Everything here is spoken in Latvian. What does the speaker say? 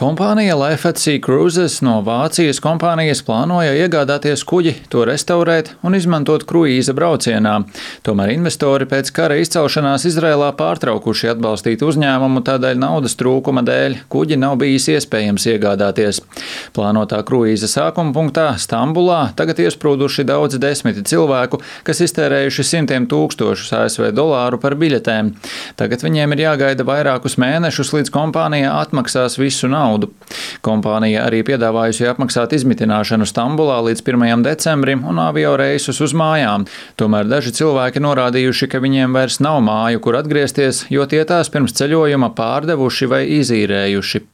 Kompānija LFC Cruises no Vācijas kompānijas plānoja iegādāties kuģi, to restaurēt un izmantot kruīza braucienā. Tomēr investori pēc kara izcelšanās Izrēlā pārtraukuši atbalstīt uzņēmumu, tādēļ naudas trūkuma dēļ kuģi nav bijis iespējams iegādāties. Plānotā kruīza sākuma punktā Stambulā tagad iesprūduši daudzi desmiti cilvēku, kas iztērējuši simtiem tūkstošus ASV dolāru par biļetēm. Tagad viņiem ir jāgaida vairākus mēnešus, līdz kompānija atmaksās visu naudu. Kompānija arī piedāvājusi apmaksāt izmitināšanu Stambulā līdz 1. decembrim un avio reisus uz mājām. Tomēr daži cilvēki norādījuši, ka viņiem vairs nav māju, kur atgriezties, jo tie tās pirms ceļojuma pārdevuši vai izīrējuši.